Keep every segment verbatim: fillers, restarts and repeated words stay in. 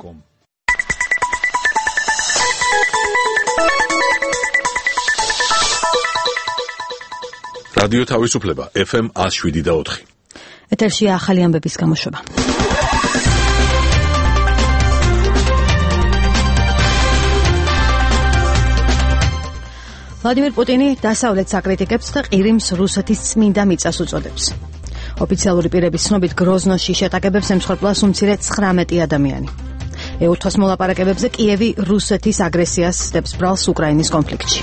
com. რადიო თავისუფლება ეფ ემ one oh seven და four. ეთერში ახალი ამბების გამოშვება. ვლადიმერ პუტინი დასავლეთს აკრიტიკებს და ყირიმს რუსეთის წმინდა მიწას უწოდებს. ოფიციალური პირების ცნობით გროზნოში შეტაკებებს ემსხვერპლა უმცირე ცხრამეტი ადამიანი. ეუთოს მოლაპარაკებებზე კიევი რუსეთის აგრესიას სდებს ბრალს უკრაინის კონფლიქტში.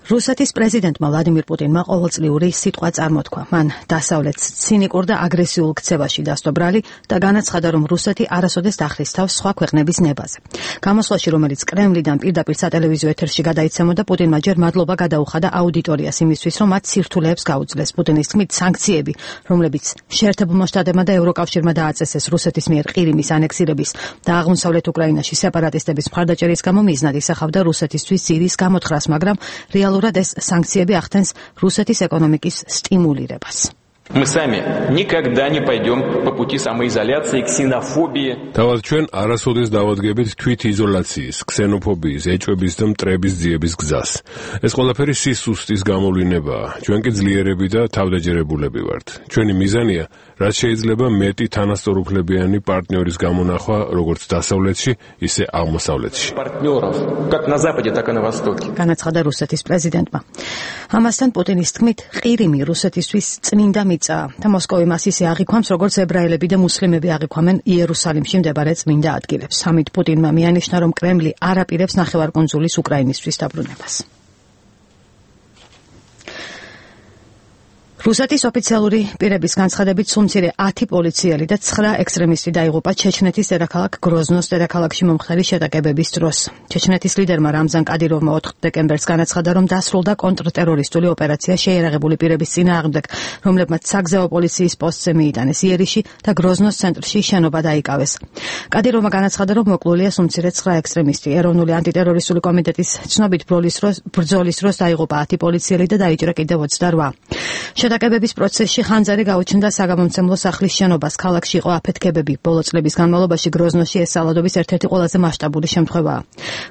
რუსეთის პრეზიდენტმა ვლადიმერ პუტინმა ყოველწლიური სიტყვა წარმოთქვა. მან დასავლეთს ცინიკურ და აგრესიულ ქცევაში დასტო ბრალი და განაცხადა, რომ რუსეთი არასოდეს დახრის თავს სხვა ქვეყნების ნებაზე. გამოსვლაში, რომელიც კრემლიდან პირდაპირ სატელევიზიო ეთერში გადაიცემოდა, პუტინმა ჯერ მადლობა გადაუხადა აუდიტორიას იმისთვის, რომ მათ სირთულეებს გაუძლეს. პუტინის თქმით, სანქციები, რომლებიც შეერთებულმა შტატებმა და ევროკავშირმა დააწესეს რუსეთის მიერ ყირიმის ანექსირების და აღმოსავლეთ უკრაინაში სეპარატისტების მხარდაჭერის გამო მიზნად ისახავდა რუსეთისთვის ძირის გამოთხრას, მაგრამ რეალურად ეს სანქციები ახდენს რუსეთის ეკონომიკის სტიმულირებას. Мы сами никогда не пойдем по пути самоизоляции, ксенофобии. Თავად ჩვენ არასოდეს დავადგებით თვით იზოლაციის, ქსენოფობიის, ეჭვების და მტრების ძიების გზას. ეს ყველაფერი სისუსტის გამოვლინებაა. ჩვენ კი ძლიერები და თავდაჯერებულები ვართ. ჩვენი მიზანია, რაც შეიძლება მეტი თანასწორუფლებიანი პარტნიორის გამონახვა, როგორც დასავლეთში, ისე აღმოსავლეთში. Партнеров, как на западе, так и на востоке. განაცხადა რუსეთის პრეზიდენტმა. ამასთან პუტინის თქმით, ყირიმი რუსეთისთვის წმინდა მიწაა და მოსკოვი მას ისე აღიქვამს, როგორც ებრაელები და მუსლიმები აღიქვამენ იერუსალიმში მდებარე წმინდა ადგილებს. ამით პუტინმა მიანიშნა, რომ კრემლი არ აპირებს ნახევარკუნძულის უკრაინისთვის დაბრუნებას. რუსეთის ოფიციალური პირების განცხადებით სულ ათი პოლიციელი და ცხრა ექსტრემისტი დაიღუპა ჩეჩნეთის დედაქალაქ გროზნოს დედაქალაქში მომხდარი შეტაკებების დროს. ჩეჩნეთის ლიდერმა რამზან კადიროვმა ოთხ დეკემბერს განაცხადა, რომ დასრულდა კონტრტერორისტული ოპერაცია შეიარაღებული პირების წინააღმდეგ, რომლებმაც საგზაო პოლიციის პოსტზე მიიტანეს იერიში და გროზნოს ცენტრში შენობა დაიკავეს. კადიროვმა განაცხადა, რომ მოკლულია სულ ცხრა ექსტრემისტი. ეროვნული ანტიტერორისტული კომიტეტის ცნობით ბრძოლის დროს დაიღუპა ათი პოლიციელი და დაიჭრა კიდევ ოცდაოთხ. შეტაკებების პროცესში ხანძარი გაუჩნდა საგამომცემლო სახლის შენობას. ქალაქში იყო აფეთქებები. ბოლო წლების განმავლობაში გროზნოში ეს სალადობის ერთ-ერთი ყველაზე მასშტაბური შემთხვევაა.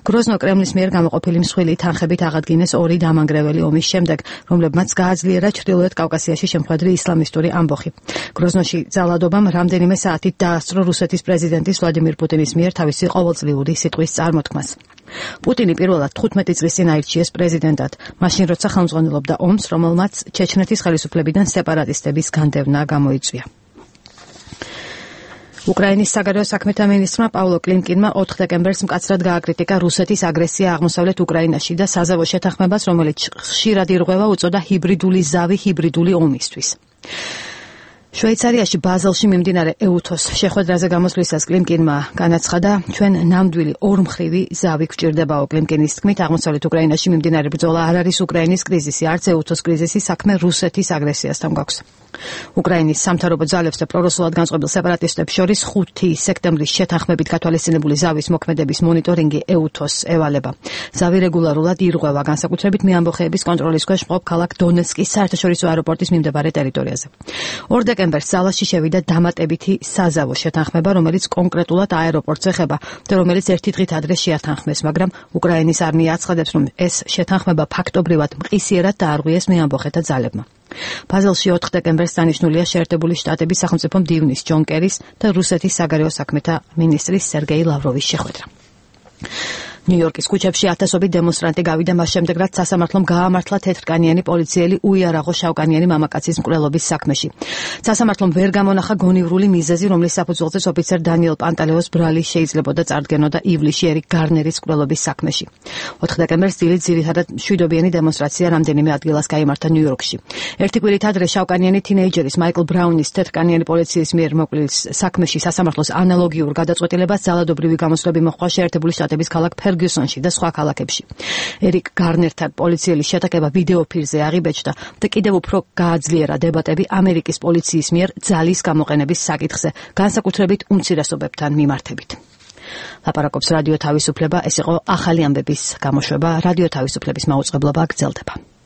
გროზნო კრემლის მიერ გამოყოფილი მსხვილი თანხებით აღადგინეს ორი დამანგრეველი ომის შემდეგ, რომლებმაც გააძლიერა ჩრდილოეთ კავკასიაში შემხვედრი ისლამისტური ამბოხი. გროზნოში ძალადობამ რამდენიმე საათით დაასწრო რუსეთის პრეზიდენტის ვლადიმერ პუტინის მიერ თავისი ყოველწლიური სიტყვის წარმოთქმას. პუტინი პირველად თხუთმეტი წლის წინ აირჩიეს პრეზიდენტად, მაშინ როცა ხელმძღვანელობდა ომს, რომელმაც ჩეჩნეთის ხელისუფლებიდან სეპარატისტების განდევნა გამოიწვია. უკრაინის საგარეო საქმეთა მინისტრმა პავლო კლიმკინმა ოთხ დეკემბერს მკაცრად გააკრიტიკა რუსეთის აგრესია აღმოსავლეთ უკრაინაში და საზავო შეთანხმებას, რომელიც ხშირად ირღვევა, უწოდა ჰიბრიდული ზავი ჰიბრიდული ომისთვის. შვეიცარიაში ბაზელში მიმდინარე ეუთოს შეხვედრაზე გამოსვლისას კლიმკინმა განაცხადა, ჩვენ ნამდვილი ორმხრივი ზავი გვჭირდებაო. კლიმკინის თქმით, აღმოსავლეთ უკრაინაში მიმდინარე ბრძოლა არ არის უკრაინის კრიზისი, არც ეუთოს კრიზისი, საქმე რუსეთის აგრესიასთან გვაქვს. უკრაინის სამთავრობო ძალებს და პრორუსულად განწყობილ სეპარატისტებს შორის ხუთი სექტემბრის შეთანხმებით გათვალისწინებული ზავის მოქმედების მონიტორინგი ეუთოს ევალება. ზავი რეგულარულად ირღვევა, განსაკუთრებით მეამბოხეების კონტროლის ქვეშ მყოფ ქალაქ დონეცკის საერთაშორისო აეროპორტის მიმდებარე ტერიტორიაზე. ორ დეკემბერს ძალაში შევიდა დამატებითი საზავო შეთანხმება, რომელიც კონკრეტულად აეროპორტს ეხება და რომელიც ერთი დღით ადრე შეათანხმეს, მაგრამ უკრაინის არმია აცხადებს, რომ ეს შეთანხმება ფაქტობრივად მყისიერად დაარღვიეს მეამბოხეთა ძალებმა. ბაზელში ოთხ დეკემბერს დანიშნულია შეერთებული შტატების სახელმწიფო მდივნის ჯონ კერის და რუსეთის საგარეო საქმეთა მინისტრის სერგეი ლავროვის შეხვედრა. ნიუ-იორკის ქუჩებში ათასობით დემონსტრანტი გავიდა მას შემდეგ, რაც სასამართლომ გაამართლა თეთრკანიანი პოლიციელი უიარაღო შავკანიანი მამაკაცის მკვლელობის საქმეში. სასამართლომ ვერ გამონახა გონივრული მიზეზი, რომლის საფუძველზეც ოფიცერ დანიელ პანტალეოს ბრალი შეიძლებოდა წარდგენოდა ივლისში ერიკ გარნერის მკვლელობის საქმეში. ოთხ დეკემბერს დილით ძირითადად მშვიდობიანი დემონსტრაცია რამდენიმე ადგილას გაიმართა ნიუ-იორკში. ერთი კვირით ადრე შავკანიანი თინეიჯერის მაიკლ ბრაუნის თეთრკანიანი პოლიციის მიერ მოკვლევის საქმეში სასამართლოს ანალოგიურ გადაწყვეტილებას ძალადობრივი გამოსვლები მოჰყვა შეერთებული შტატების ქალაქ ფერგიუსონში და სხვა ქალაქებში. ერიკ გარნერთან პოლიცielis შეტაკება ვიდეოფილზე აღიბეჭდა და კიდევ უფრო გააძლიერა დებატები ამერიკის პოლიციის მიერ ძალის გამოყენების საკითხზე, განსაკუთრებით უმცირესობებთან მიმართებით. ლაპარაკობს რადიო თავისუფლება, ეს იყო ახალი ამბების გამოშვება, რადიო თავისუფლების მაუწყებლობა გრძელდება.